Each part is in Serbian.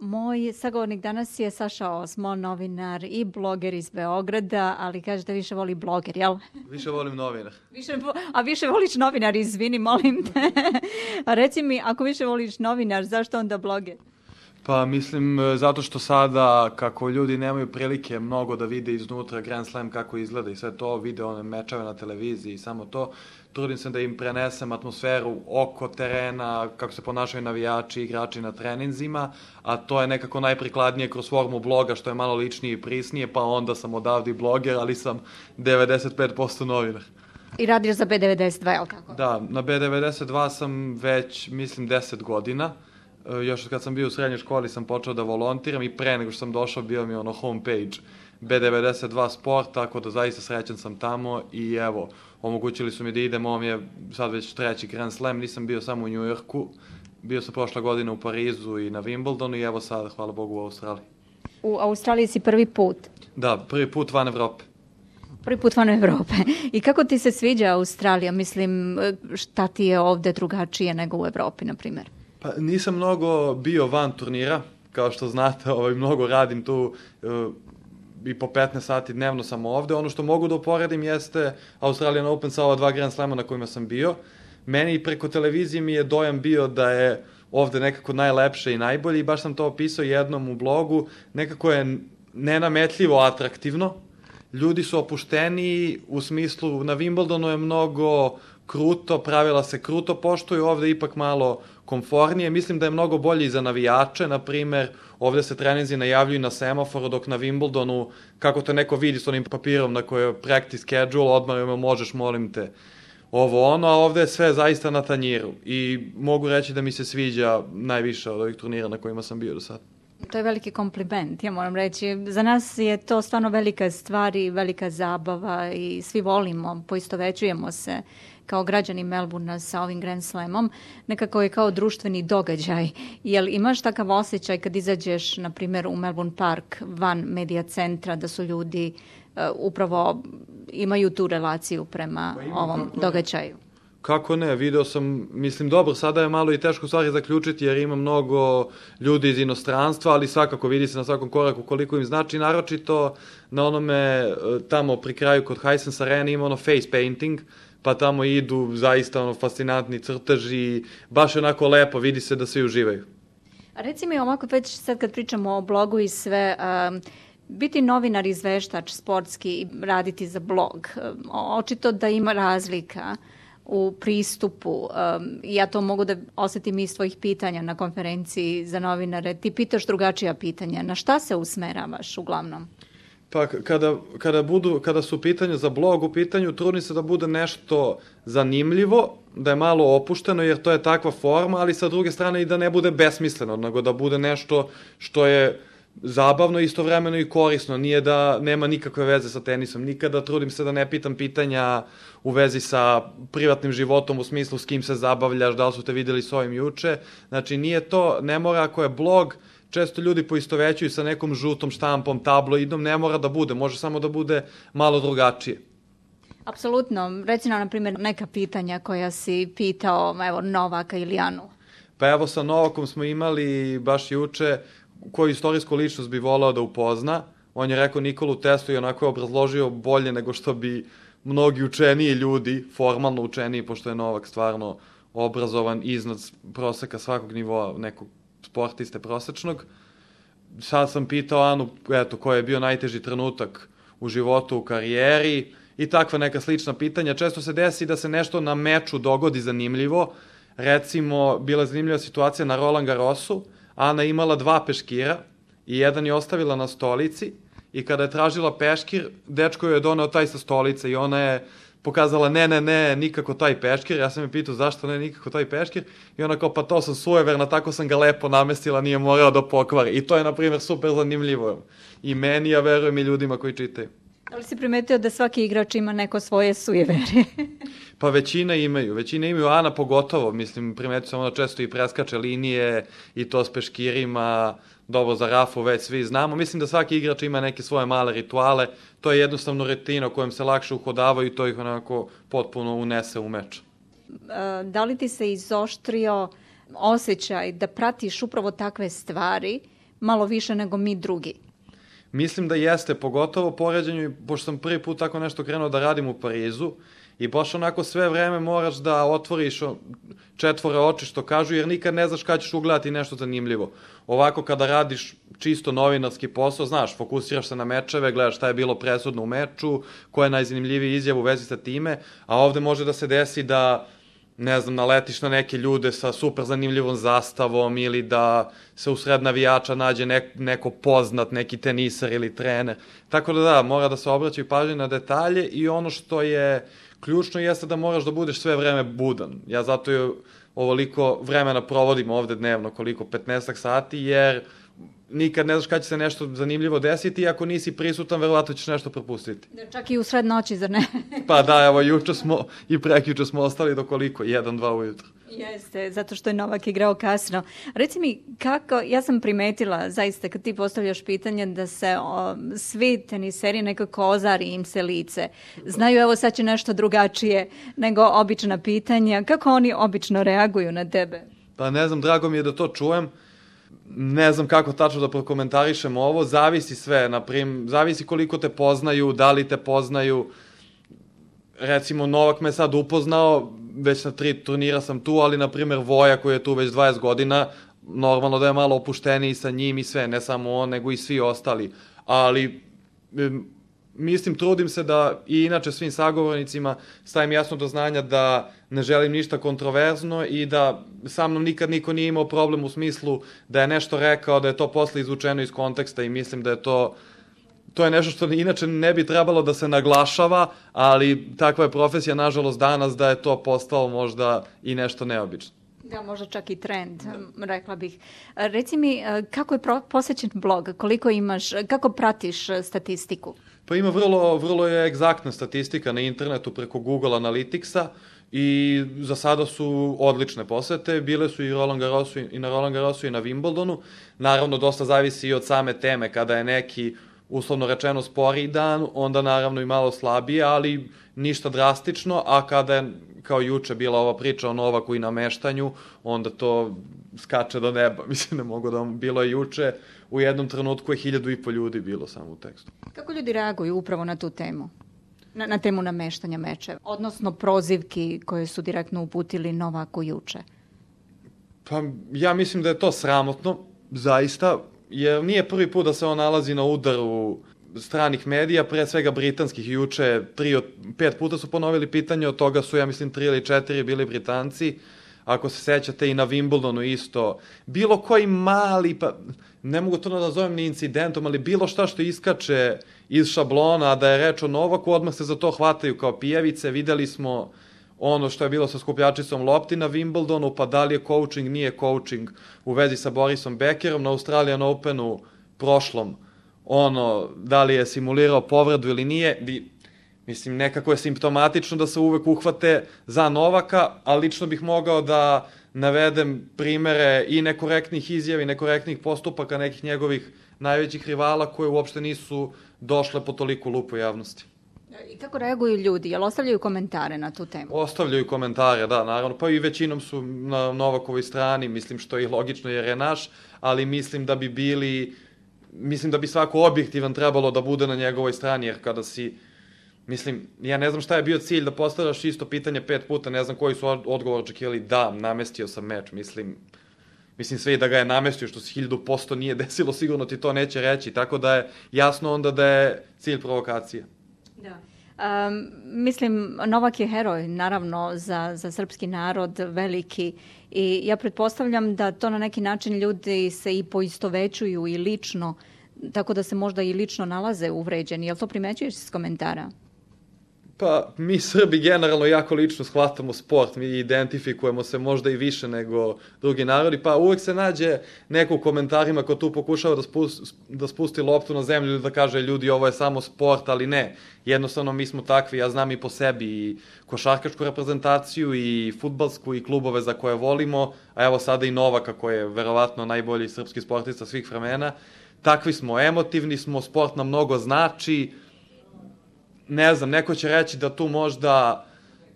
Moj sagovornik danas je Saša Osmo, novinar i bloger iz Beograda, ali kaže da više voli bloger, jel? Više volim novinar. Više voliš novinar, izvini, molim te. A reci mi, ako više voliš novinar, zašto onda bloger? Pa mislim, zato što sada, kako ljudi nemaju prilike mnogo da vide iznutra Grand Slam kako izgleda i sve to, vide one mečeve na televiziji i samo to, trudim se da im prenesem atmosferu oko terena, kako se ponašaju navijači, igrači na treninzima, a to je nekako najprikladnije kroz formu bloga, što je malo ličnije i prisnije, pa onda sam odavde i bloger, ali sam 95% novinar. I radiš za B92, jel kako? Da, na B92 sam već, mislim, 10 godina. Još kad sam bio u srednjoj školi sam počeo da volontiram i pre nego što sam došao bio mi homepage B92 Sport, tako da zaista srećan sam tamo i evo, omogućili su mi da idem, ovo mi je sad već 3. Grand Slam, nisam bio samo u New Yorku, bio sam prošla godina u Parizu i na Wimbledonu i evo sad, hvala Bogu, u Australiji. U Australiji si prvi put? Da, prvi put van Evrope. Prvi put van Evrope. I kako ti se sviđa Australija? Mislim, šta ti je ovde drugačije nego u Evropi, na primjer? Pa nisam mnogo bio van turnira, kao što znate, mnogo radim tu i po 15 sati dnevno sam ovde. Ono što mogu da uporedim jeste Australian Open sa ova 2 Grand Slama na kojima sam bio. Meni preko televizije mi je dojam bio da je ovde nekako najlepše i najbolje i baš sam to opisao jednom u blogu. Nekako je nenametljivo atraktivno. Ljudi su opušteniji, u smislu na Wimbledonu je mnogo kruto, pravila se kruto poštuju, ovde ipak malo komfornije. Mislim da je mnogo bolje i za navijače, na primer, ovde se treninzi najavljuju na semaforu, dok na Wimbledonu, kako te neko vidi s onim papirom na kojoj je practice schedule, odmah možeš, molim te, ovo ono, a ovde je sve zaista na tanjiru. I mogu reći da mi se sviđa najviše od ovih turnira na kojima sam bio do sada. To je veliki kompliment, ja moram reći. Za nas je to stvarno velika stvar i velika zabava i svi volimo, poistovećujemo se kao građani Melbourna sa ovim Grand Slamom. Nekako je kao društveni događaj. Jel imaš takav osjećaj kad izađeš, na primjer, u Melbourne Park van medija centra, da su ljudi upravo imaju tu relaciju prema ovom događaju? Kako ne, video sam, mislim, dobro, sada je malo i teško stvari zaključiti jer ima mnogo ljudi iz inostranstva, ali svakako vidi se na svakom koraku koliko im znači, naročito na onome tamo pri kraju kod Hisense Arena ima ono face painting, pa tamo idu zaista fascinantni crteži, baš onako lepo, vidi se da svi uživaju. A reci mi ovako, već sad kad pričamo o blogu i sve, biti novinar, izveštač, sportski i raditi za blog, očito da ima razlika u pristupu. Ja to mogu da osetim iz tvojih pitanja na konferenciji za novinare. Ti pitaš drugačija pitanja. Na šta se usmeravaš uglavnom? Pa kada su pitanja za blog u pitanju, trudim se da bude nešto zanimljivo, da je malo opušteno jer to je takva forma, ali sa druge strane i da ne bude besmisleno, nego da bude nešto što je zabavno, istovremeno i korisno. Nije da nema nikakve veze sa tenisom. Nikada trudim se da ne pitam pitanja u vezi sa privatnim životom, u smislu s kim se zabavljaš, da li su te videli s ovim juče. Znači, nije to, ne mora ako je blog, često ljudi poistovećuju sa nekom žutom štampom, tabloidom, ne mora da bude, može samo da bude malo drugačije. Apsolutno. Reci nam, na primjer, neka pitanja koja si pitao, evo, Novaka ili Anu. Pa evo, sa Novakom smo imali baš juče koju istorijsku ličnost bi volao da upozna. On je rekao Nikolu Teslu i onako je obrazložio bolje nego što bi mnogi učeniji ljudi, formalno učeniji, pošto je Novak stvarno obrazovan iznad proseka svakog nivoa nekog sportiste prosečnog. Sad sam pitao Anu, eto, koji je bio najteži trenutak u životu, u karijeri i takva neka slična pitanja. Često se desi da se nešto na meču dogodi zanimljivo. Recimo, bila je zanimljiva situacija na Roland Garrosu. Ana je imala 2 peškira i jedan je ostavila na stolici i kada je tražila peškir, dečko joj je doneo taj sa stolice i ona je pokazala ne, nikako taj peškir. Ja sam je pitao zašto ne nikako taj peškir i ona kao pa to sam sujeverna, tako sam ga lepo namestila, nije morao da pokvari. I to je, na primjer, super zanimljivo. I meni, ja verujem i ljudima koji čitaju. Da li si primetio da svaki igrač ima neko svoje sujeverje? Pa većina imaju, Ana pogotovo, mislim, primetio sam ona često i preskače linije i to s peškirima, dobro za Rafu već svi znamo. Mislim da svaki igrač ima neke svoje male rituale, to je jednostavno rutina kojem se lakše uhodavaju i to ih onako potpuno unese u meč. Da li ti se izoštrio osjećaj da pratiš upravo takve stvari malo više nego mi drugi. Mislim da jeste, pogotovo poređenju, pošto sam prvi put tako nešto krenuo da radim u Parizu i baš onako sve vreme moraš da otvoriš četvore oči što kažu, jer nikad ne znaš kada ćeš ugledati nešto zanimljivo. Ovako kada radiš čisto novinarski posao, znaš, fokusiraš se na mečeve, gledaš šta je bilo presudno u meču, koja je najzanimljiviji izjav u vezi sa time, a ovde može da se desi da, ne znam, naletiš na neke ljude sa super zanimljivom zastavom ili da se usred navijača nađe neko poznat, neki tenisar ili trener. Tako da, mora da se obraćaju pažnje na detalje i ono što je ključno jeste da moraš da budeš sve vreme budan. Ja zato je ovoliko vremena provodim ovde dnevno, koliko, 15 sati, jer nikad ne znaš kada će se nešto zanimljivo desiti i ako nisi prisutan, verovatno ćeš nešto propustiti. Čak i u sred noći, zar ne? Pa da, evo, juče smo i prekjuče smo ostali do koliko? 1-2 ujutro. Jeste, zato što je Novak igrao kasno. Reci mi, kako, ja sam primetila, zaista, kad ti postavljaš pitanje da se svi teniseri nekako ozari im se lice. Znaju, evo sad će nešto drugačije nego obična pitanja. Kako oni obično reaguju na tebe? Pa ne znam, drago mi je da to čujem. Ne znam kako tačno da prokomentarišem ovo, zavisi sve, zavisi koliko te poznaju, da li te poznaju. Recimo, Novak me sad upoznao, već na 3 turnira sam tu, ali, na primjer, Voja koji je tu već 20 godina, normalno da je malo opušteniji sa njim i sve, ne samo on, nego i svi ostali. Ali, mislim, trudim se da i inače svim sagovornicima stavim jasno do znanja da ne želim ništa kontroverzno i da sa mnom nikad niko nije imao problem u smislu da je nešto rekao, da je to posle izvučeno iz konteksta i mislim da je to je nešto što inače ne bi trebalo da se naglašava, ali takva je profesija, nažalost, danas da je to postalo možda i nešto neobično. Da, možda čak i trend, rekla bih. Reci mi, kako je posećen blog? Koliko imaš, kako pratiš statistiku? Pa ima vrlo je egzaktna statistika na internetu preko Google Analyticsa i za sada su odlične posete. Bile su i na Roland Garrosu i na Wimbledonu. Naravno, dosta zavisi i od same teme. Kada je neki, uslovno rečeno, sporiji dan, onda naravno i malo slabije, ali ništa drastično, a kada je, kao juče, bila ova priča o Novaku i nameštanju, onda to skače do neba. Mislim, ne mogu da vam, bilo je juče, u jednom trenutku je 1.500 ljudi bilo samo u tekstu. Kako ljudi reaguju upravo na tu temu? Na temu nameštanja mečeva, odnosno prozivki koje su direktno uputili Novaku juče? Pa ja mislim da je to sramotno, zaista, jer nije prvi put da se on nalazi na udaru stranih medija, pre svega britanskih. Juče 5 puta su ponovili pitanje, od toga su, ja mislim, 3 ili 4 bili Britanci. Ako se sećate, i na Wimbledonu isto. Bilo koji mali, pa ne mogu to da nazovem ni incidentom, ali bilo šta što iskače iz šablona, a da je reč o Novaku, odmah se za to hvataju kao pijavice. Videli smo ono što je bilo sa skupljačicom lopti na Wimbledonu, pa da li je coaching, nije coaching u vezi sa Borisom Beckerom, na Australian Openu prošlom, da li je simulirao povredu ili nije. Mislim, nekako je simptomatično da se uvek uhvate za Novaka, a lično bih mogao da navedem primere i nekorektnih izjava i nekorektnih postupaka nekih njegovih najvećih rivala koje uopšte nisu došle po toliku lupu javnosti. I kako reaguju ljudi? Jel ostavljaju komentare na tu temu? Ostavljaju komentare, da, naravno. Pa i većinom su na Novakovoj strani, mislim što je i logično jer je naš, ali mislim da bi svako objektivan trebalo da bude na njegovoj strani, jer kada si, mislim, ja ne znam šta je bio cilj da postavljaš isto pitanje 5 puta, ne znam koji su odgovor očekivali, da, namestio sam meč, mislim sve i da ga je namestio, što se 1000% nije desilo, sigurno ti to neće reći, tako da je jasno onda da je cilj provokacija. Da. Mislim, Novak je heroj, naravno, za srpski narod veliki i ja pretpostavljam da to na neki način ljudi se i poistovećuju i lično, tako da se možda i lično nalaze uvređeni. Jel to primećuješ iz komentara? Pa, mi Srbi generalno jako lično shvatamo sport, mi identifikujemo se možda i više nego drugi narodi, pa uvek se nađe neko u komentarima ko tu pokušava da spusti loptu na zemlju ili da kaže ljudi ovo je samo sport, ali ne. Jednostavno mi smo takvi, ja znam i po sebi i košarkašku reprezentaciju i fudbalsku i klubove za koje volimo, a evo sada i Novaka koji je verovatno najbolji srpski sportista svih vremena. Takvi smo, emotivni smo, sport nam mnogo znači. Ne znam, neko će reći da tu možda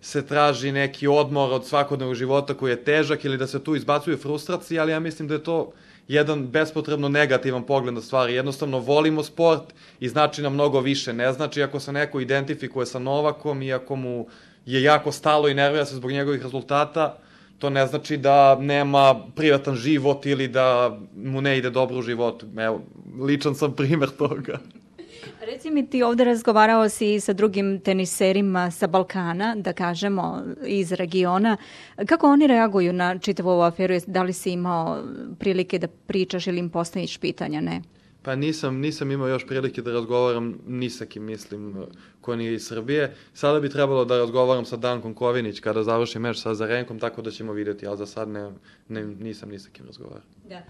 se traži neki odmor od svakodnevnog života koji je težak ili da se tu izbacuju frustracije, ali ja mislim da je to jedan bespotrebno negativan pogled na stvari. Jednostavno volimo sport i znači nam mnogo više. Ne znači ako se neko identifikuje sa Novakom i ako mu je jako stalo i nervira se zbog njegovih rezultata, to ne znači da nema privatan život ili da mu ne ide dobro u životu. Evo, ličan sam primer toga. Reci mi, ti ovde razgovarao si sa drugim teniserima sa Balkana, da kažemo, iz regiona. Kako oni reaguju na čitavu ovu aferu? Da li si imao prilike da pričaš ili im postaviš pitanja, ne? Pa nisam imao još prilike da razgovaram ni sa kim, mislim, ko nije iz Srbije. Sada bi trebalo da razgovaram sa Dankom Kovinić kada završi meč sa Azarenkom, tako da ćemo vidjeti, ali za sad nisam ni sa kim razgovarao. Da.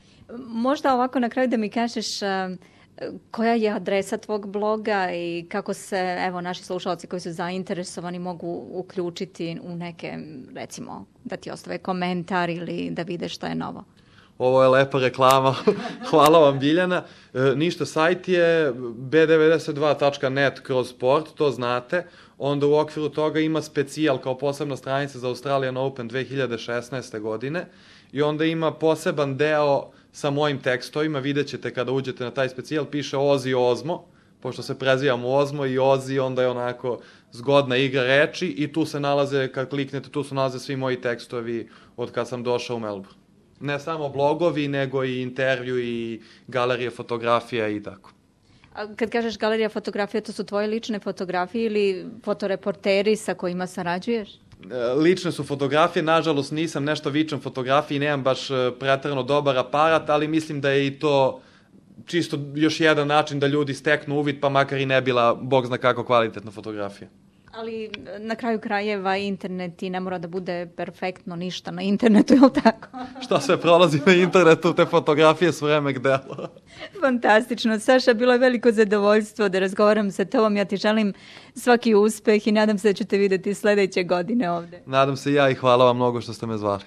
Možda ovako na kraju da mi kažeš koja je adresa tvog bloga i kako se, evo, naši slušalci koji su zainteresovani mogu uključiti u neke, recimo, da ti ostave komentar ili da vide šta je novo. Ovo je lepa reklama. Hvala vam, Biljana. Ništa, sajt je b92.net/sport, to znate. Onda u okviru toga ima specijal kao posebna stranica za Australian Open 2016. godine i onda ima poseban deo sa mojim tekstovima. Vidjet ćete kada uđete na taj specijal, piše Ozi Ozmo, pošto se prezivamo Ozmo i Ozi, onda je onako zgodna igra reči i tu se nalaze, kad kliknete, tu se nalaze svi moji tekstovi od kad sam došao u Melbourne. Ne samo blogovi, nego i intervju i galerije fotografija i tako. A kad kažeš galerija fotografija, to su tvoje lične fotografije ili fotoreporteri sa kojima sarađuješ? Lične su fotografije, nažalost nisam nešto vičan fotografiji, nemam baš preterano dobar aparat, ali mislim da je i to čisto još jedan način da ljudi steknu uvid, pa makar i ne bila, bog zna kako, kvalitetna fotografija. Ali na kraju krajeva internet i ne mora da bude perfektno ništa na internetu, je li tako? Šta sve prolazi na internetu, te fotografije su remek delo. Fantastično. Saša, bilo je veliko zadovoljstvo da razgovaram sa tobom. Ja ti želim svaki uspeh i nadam se da ću te videti sledeće godine ovde. Nadam se ja i hvala vam mnogo što ste me zvali.